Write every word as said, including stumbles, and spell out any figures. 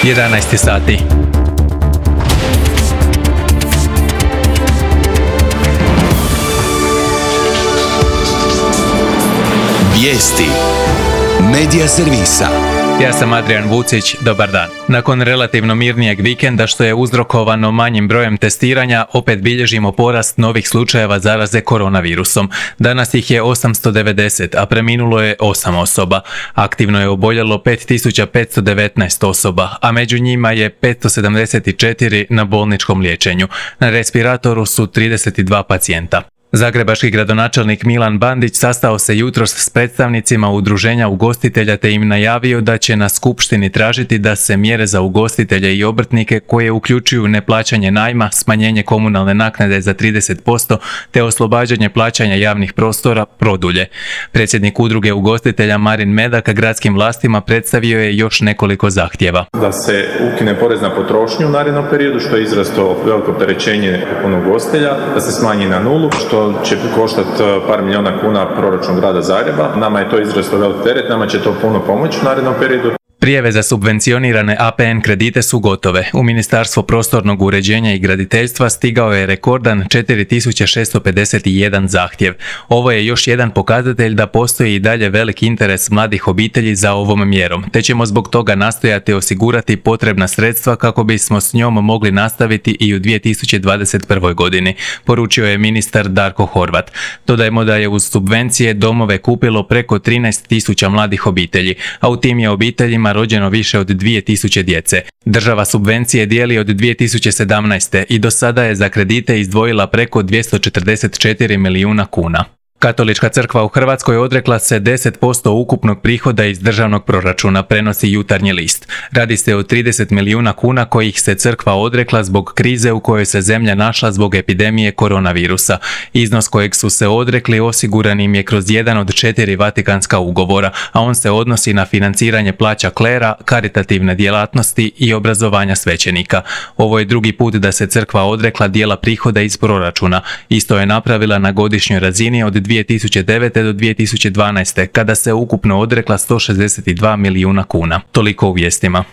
jedanaest sati. Vijesti Medija servisa. Ja sam Adrian Vucić, dobar dan. Nakon relativno mirnijeg vikenda što je uzrokovano manjim brojem testiranja, opet bilježimo porast novih slučajeva zaraze koronavirusom. Danas ih je osamsto devedeset, a preminulo je osam osoba. Aktivno je oboljelo pet tisuća petsto devetnaest osoba, a među njima je petsto sedamdeset četiri na bolničkom liječenju. Na respiratoru su trideset dva pacijenta. Zagrebački gradonačelnik Milan Bandić sastao se jutros s predstavnicima udruženja ugostitelja te im najavio da će na skupštini tražiti da se mjere za ugostitelje i obrtnike koje uključuju neplaćanje najma, smanjenje komunalne naknade za trideset posto te oslobađanje plaćanja javnih prostora produlje. Predsjednik udruge ugostitelja Marin Medak gradskim vlastima predstavio je još nekoliko zahtjeva. Da se ukine porez na potrošnju u narednom periodu, što je izrasto veliko opterećenje onog ugostitelja, da se smanji na nulu, što će koštati par milijuna kuna proračun grada Zagreba. Nama je to izrazito velik teret, nama će to puno pomoći u narednom periodu. Prijave za subvencionirane A P N kredite su gotove. U Ministarstvo prostornog uređenja i graditeljstva stigao je rekordan četiri tisuće šesto pedeset jedan zahtjev. Ovo je još jedan pokazatelj da postoji i dalje velik interes mladih obitelji za ovom mjerom, te ćemo zbog toga nastojati osigurati potrebna sredstva kako bismo s njom mogli nastaviti i u dvije tisuće dvadeset prvoj. godini, poručio je ministar Darko Horvat. Dodajmo da je uz subvencije domove kupilo preko trinaest tisuća mladih obitelji, a u tim je obiteljima rođeno više od dvije tisuće djece. Država subvencije dijeli od dvije tisuće sedamnaeste. i do sada je za kredite izdvojila preko dvjesto četrdeset četiri milijuna kuna. Katolička crkva u Hrvatskoj odrekla se deset posto ukupnog prihoda iz državnog proračuna, prenosi Jutarnji list. Radi se o trideset milijuna kuna kojih se crkva odrekla zbog krize u kojoj se zemlja našla zbog epidemije koronavirusa. Iznos kojeg su se odrekli osiguran im je kroz jedan od četiri Vatikanska ugovora, a on se odnosi na financiranje plaća klera, karitativne djelatnosti i obrazovanja svećenika. Ovo je drugi put da se crkva odrekla dijela prihoda iz proračuna. Isto je napravila na godišnjoj razini od dvije tisuće devete. do dvije tisuće dvanaeste. kada se ukupno odrekla sto šezdeset dva milijuna kuna. Toliko u vijestima.